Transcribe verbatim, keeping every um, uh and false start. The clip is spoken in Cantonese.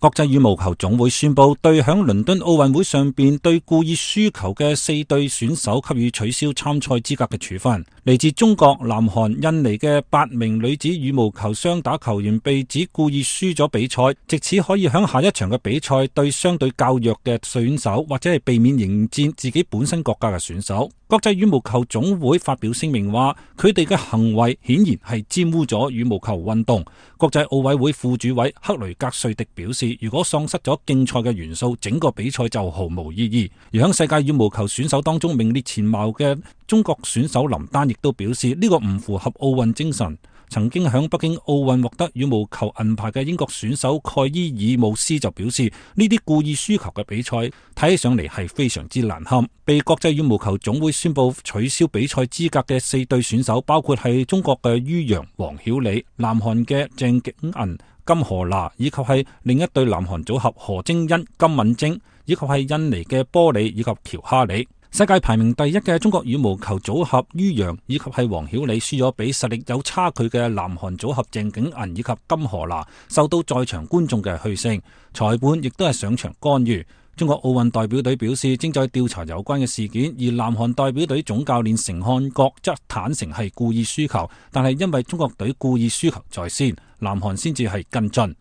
國際羽毛球總會宣布，對響倫敦奧運會上邊對故意輸球嘅四對選手給予取消參賽資格嘅處分。嚟自中國、南韓、印尼嘅八名女子羽毛球雙打球員被指故意輸咗比賽，藉此可以響下一場嘅比賽對相對較弱嘅選手，或者係避免迎戰自己本身國家嘅選手。國際羽毛球總會發表聲明話，佢哋嘅行為顯然係玷污咗羽毛球運動。國際奧委會副主委克雷格瑞迪表示，如果喪失咗競賽嘅元素，整個比賽就毫無意義。而喺世界羽毛球選手當中名列前茅嘅中國選手林丹亦都表示，呢個唔符合奧運精神。曾經喺北京奧運獲得羽毛球銀牌嘅英國選手蓋伊爾姆斯就表示，呢啲故意輸球嘅比賽睇起上嚟係非常之難堪。被國際羽毛球總會宣布取消比賽資格嘅四對選手，包括係中國嘅于洋、黃曉理、南韓嘅鄭景銀、金荷娜，以及係另一對南韓組合何晶欣、金敏晶，以及係印尼嘅波里以及喬哈里。世界排名第一嘅中國羽毛球組合于洋以及係黃曉理輸咗俾實力有差距嘅南韓組合鄭景銀以及金荷娜，受到在場觀眾嘅噓聲，裁判亦都係上場干預。中國奧運代表隊表示正在調查有關嘅事件，而南韓代表隊總教練成漢國則坦承係故意輸球，但係因為中國隊故意輸球在先，南韓先至係跟進。